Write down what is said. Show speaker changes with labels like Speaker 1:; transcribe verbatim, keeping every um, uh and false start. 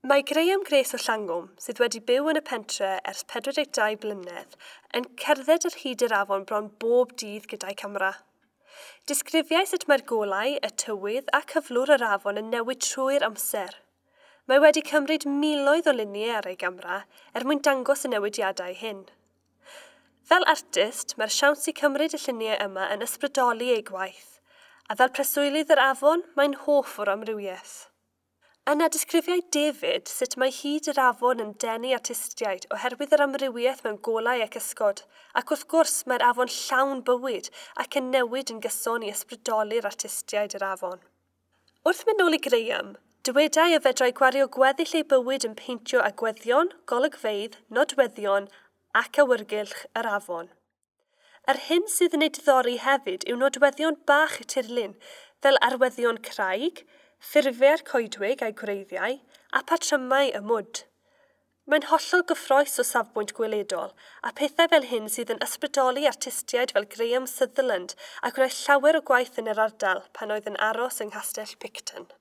Speaker 1: Mae Graham Grace o Llangwm, sydd wedi byw yn y pentre ers pedwar deg dau blynedd, yn cerdded ar hyd yr afon bron bob dydd gyda'i camera. Disgrifiai sut mae'r golau, y tywydd a cyflwr yr afon yn newid trwy'r amser. Mae wedi cymryd miloedd o luniau ar ei gamera er mwyn dangos y newidiadau hyn. Fel artist, mae'r siawns i cymryd y lluniau yma yn ysbrydoli ei gwaith, a fel preswylydd yr afon, mae'n hoff o'r amrywiaeth. Yna disgrifiai David sut mae hyd yr afon yn denu artistiaid oherwydd yr amrywiaeth mewn golau ac ysgod, ac wrth gwrs mae'r afon llawn bywyd ac yn newid yn gyson i ysbrydoli'r artistiaid yr afon. Wrth mynd nôl i Graham, dywedai y fedrai gwario gweddill ei bywyd yn peintio agweddion, golygfeydd, nodweddion ac awyrgylch yr afon. Yr hyn sydd yn ei diddori hefyd yw nodweddion bach y tirlun, fel arweddion craig, ffurfiau'r coedwig a'i gwreiddiau, a patrymau y mwd. Mae'n hollol gyffrous o safbwynt gweledol, a pethau fel hyn sydd yn ysbrydoli artistiaid fel Graham Sutherland a gwnaeth llawer o gwaith yn yr ardal pan oedd yn aros yng Nghastell Picton.